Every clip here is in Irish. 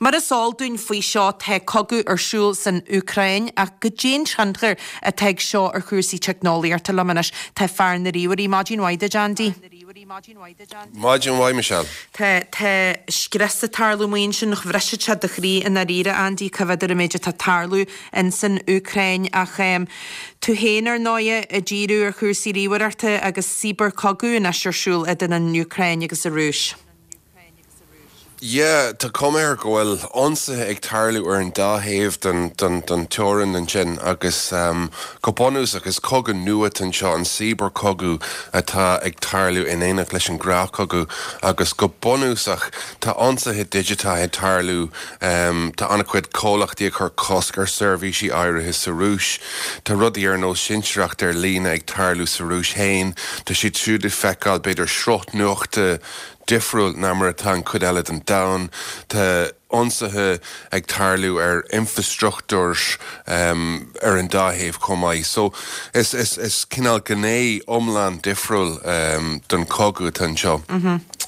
Mar is eol dúinn faoi seo tá cogadh ar siúl san Úcráin ach goidé an tionchar atá ag seo ar chúrsaí teicneolaíochta liom anois tá fear na ríomhairí. Maidin mhaith duit Andy. Maidin mhaith Michelle. Tá, tá scrios ag tarlú amuigh ansin, bhrisfeadh sé do chroí i ndáiríre Andy, cá bhfios ar an méid atá ag tarlú insan Úcráin ach tú féin ar ndóighe ag díriú ar chúrsaí ríomhaireachta agus cibearchogadh anois ar siúl idir an Úcráin agus an Rúis. Yeah, tá cuma air go bhfuil ionsaithe ag tarlú ar an dá thaobh den den teorainn ansin agus go bunúsach is cogadh nua atá anseo, an cibearchogadh atá ag tarlú in éineacht leis an ngnáthchogadh agus go bunúsach tá ionsaithe digiteacha ag tarlú, tá an-chuid comhlachtaí ag cur cosc ar seirbhísí áirithe sa Rúis, tá rudaí ar nós cinsireacht ar líne ag tarlú sa Rúis féin, tá siad siúd ag feiceáil b'fhéidir sruth nuachta difriúil ná mar atá an chuid eile den domhan. Tá ionsaithe ag tarlú ar infreastruchtúr ar an dá thaobh chomh maith. So is is cineál gné iomlán difriúil den chogadh atá anseo.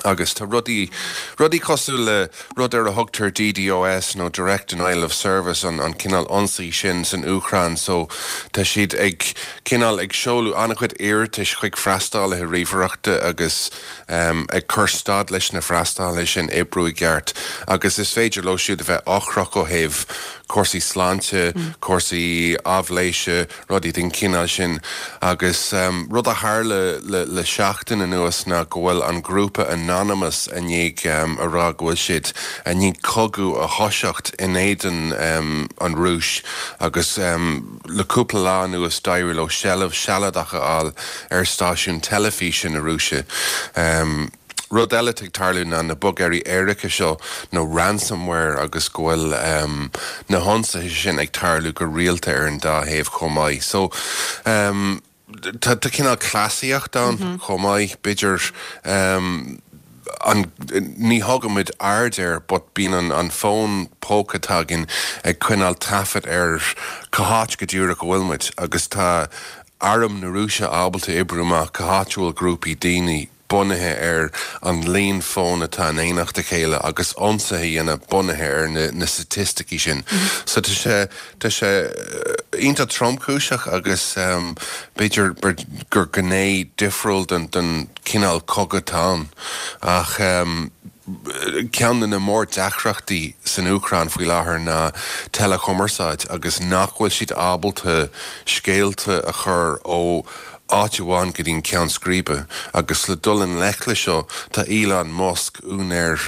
Agus tá rudaí rudaí cosúil le rud ar a thugtar DDoS nó Direct Denial of Service, an an cineál ionsaí sin san Úcráin. So tá siad ag cineál ag seoladh an-chuid iarratais chuig freastalaithe ríomhaireachta agus ag cur stad leis na freastalaithe sin oibriú i gceart agus is féidir leo siúd a bheith ocrach ó thaobh cúrsaí sláinte, cúrsaí aibhléise, rudaí den chineál sin. Agus rud a tharla le seachtain anuas ná go bhfuil an grúpa Anonymous i ndiaidh a rá go bhfuil siad i ndiaidh cogadh a thoiseacht in éadan an Rúis agus Le cúpla lá anuas d'éirigh leo seilbh sealadach a fháil ar stáisiún teilifíse na Rúise. Rud eile atá ag tarlú ná na bogearraí éirice seo, nó ransomware, agus go bhfuil na hionsaithe sin ag tarlú go rialta ar an dá thaobh chomh maith. So, tá cineál cleasaíocht ann chomh maith, b'fhéidir. an, ní thugaimid aird air but bíonn an fón póca atá againn ag coinneáil taifead ar cá háit go díreach a bhfuil muid agus tá arm na Rúise ábalta oibriú amach cá háit a bhfuil grúpaí daoine bunaithe ar an líon fón atá in éineacht a chéile agus ionsaithe a dhéanamh bunaithe ar na na staitisticí sin. So tá sé tá sé iontach tromchúiseach agus b'fhéidir gur gné difriúil den den cineál cogadh atá ann. Ach ceann de na mór-deacrachtaí san Úcráin faoi láthair ná teileachumarsáid agus nach bhfuil siad ábalta scéalta a chur ó áit amháin go dtí an ceann scríbe. Agus le dul i ngleic le seo, tá Elon Musk, úinéir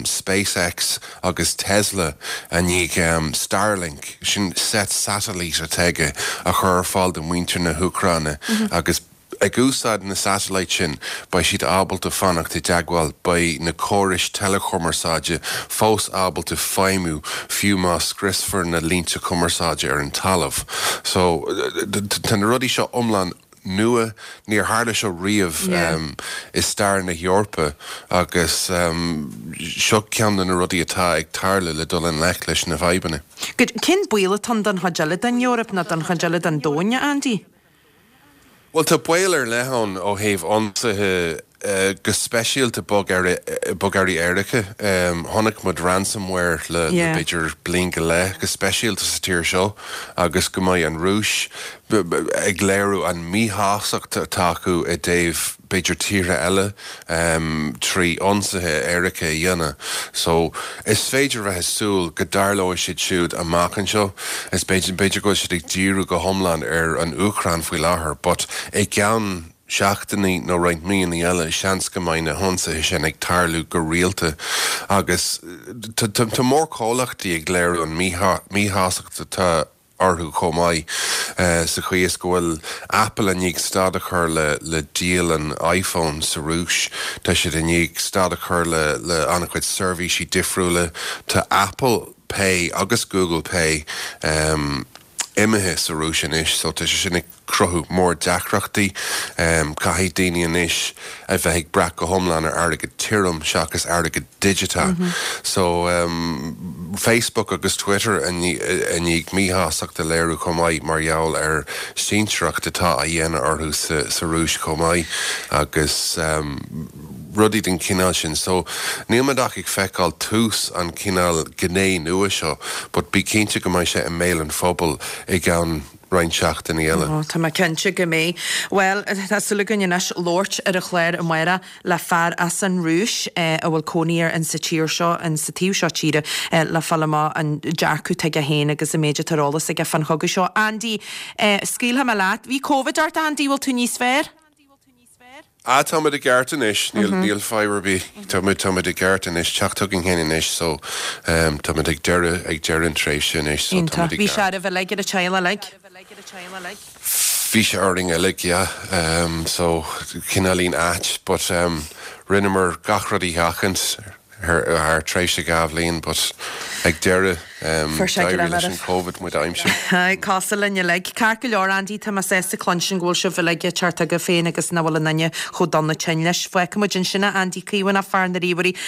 SpaceX agus Tesla, i ndiaidh Starlink, sin seit satailíte atá aige, a chur ar fáil do mhuintir na hÚcráine agus Ag úsáid na satailít sin, beidh siad ábalta fanacht i dteagmháil, beidh na córais teileachumarsáide fós ábalta feidhmiú fiú má scriosfar na línte cumarsáide ar an talamh. So, tá na rudaí seo iomlán nua, níor tharla seo riamh i stair na hEorpa agus seo ceann de na rudaí atá ag tarlú le dul i ngleic leis na fadhbanna. Good. Cén baol atá ann don chuid eile den Eoraip nó don chuid eile den domhan, a Andy? Bhuel, tá baol ar leith ann ó thaobh ionsaithe, go speisialta bogearraí éirice. Chonaic muid ransomware le b'fhéidir bliain go leith, go speisialta sa tír seo, agus go mbeidh an Rúis ag léiriú an míshástacht atá acu i dtaobh b'fhéidir tíortha eile trí ionsaithe éirice a dhéanamh. So, is féidir bheith ag súil go dtarlóidh siad siúd amach anseo. Is b'fhéidir, b'fhéidir go bhfuil siad ag díriú go hiomlán ar an Úcráin faoi láthair, but i gceann seachtainí nó roinnt míonna eile, seans go mbeidh na hionsaithe sin ag tarlú go rialta. Agus tá mórchomhlachtaí ag léiriú an míshástacht atá orthu chomh maith, sa chaoi is go bhfuil Apple i ndiaidh stad a chur le díol an iPhone sa Rúis. Tá siad i ndiaidh stad a chur le an-chuid seirbhísí difriúla. Tá Apple Pay agus Google Pay imithe sa Rúis anois so tá sé sin ag cruthú mór-deacrachtaí. Caithfidh daoine anois a bheith ag brath go hiomlán ar airgead tirim seachas airgead digiteach. So, Facebook agus Twitter i ndiaidh míshástacht a léiriú chomh maith mar gheall ar cinsireacht atá á dhéanamh orthu sa Rúis chomh maith agus. rudaí den chineál sin. So níl muid ach ag feiceáil tús an chineál gné nua seo but bí cinnte go mbeidh sé i mbéal an phobail i gceann roinnt seachtainí eile. Ó, tá mé cinnte go mbeidh. Bhuel, tá súil againn anois labhairt ar an chlár amárach le fear as an Rúis a bhfuil cónaí air insa tír seo, insa taobh seo tíre, le fáil amach an dearcadh atá aige féin agus an méid atá ar eolas aige fán chogadh seo. Andy, scaoilfidh mé leat. Bhí Covid ort, Andy, bhfuil tú níos fearr? Ah táimid i gceart anois, níl níl fadhb ar bith, táimid táimid i gceart anois, teacht chugainn féin anois so ehm táimid ag deireadh ag deireadh an tréimhse anois so Iontach. táimid i Bhí sé oraibh uilig, ar an teaghlach uilig? Bhí sé orainn uilig, yeah, ehm so cineáilín ait but ehm rinneamar gach rud a sheachaint. thar tréimhse 2 bhliain but ag deireadh d'éirigh leis an Covid muid a aimsiú. Cosúil linn uilig. Ceart go leor Andy, tá mé sásta cluinstin go bhfuil sibh uilig ag teacht chugaibh féin agus nach bhfuil aon duine chomh dona tinn leis. Fágfaidh muid ansin é Andy Caomhánach, fear na ríomhairí.